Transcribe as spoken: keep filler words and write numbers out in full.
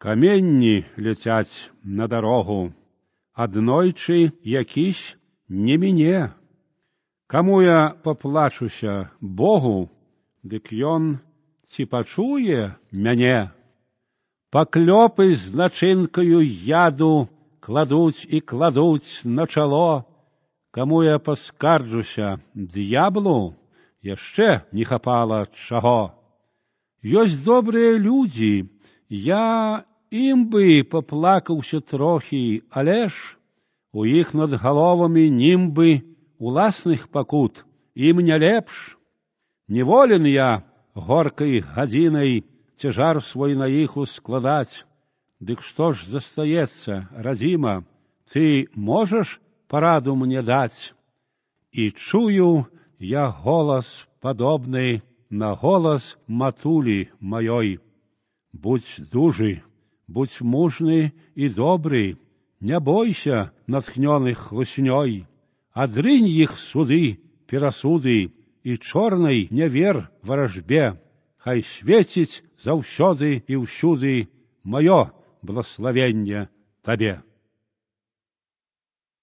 Каменні ляцяць на дарогу, аднойчы якісь не міне. Каму я паплачуся Богу, дык ён ці пачуе мяне? Паклёпы з начынкаю яду кладуць і кладуць на чало. Каму я паскарджуся д'яблу, яшчэ не хапала чаго. Ёсць добрыя людзі, я ім бы паплакаўся трохі, але ж у іх над галовамі німбы уласных пакут, ім не лепш. Неволен я горкай гадзінай цяжар свой на іх ускладаць. Дык што ж застаецца, радзіма, ты можаш параду мне даць? І чую я голас падобны на голас матулі маёй. Будзь дужы, будзь мужны і добры, не бойся натхнёных хлуснёй. Адрынь іх суды, перасуды і чорнай не вер варажбе. Хай свеціць заўсёды і ўсюды маё благословенне табе.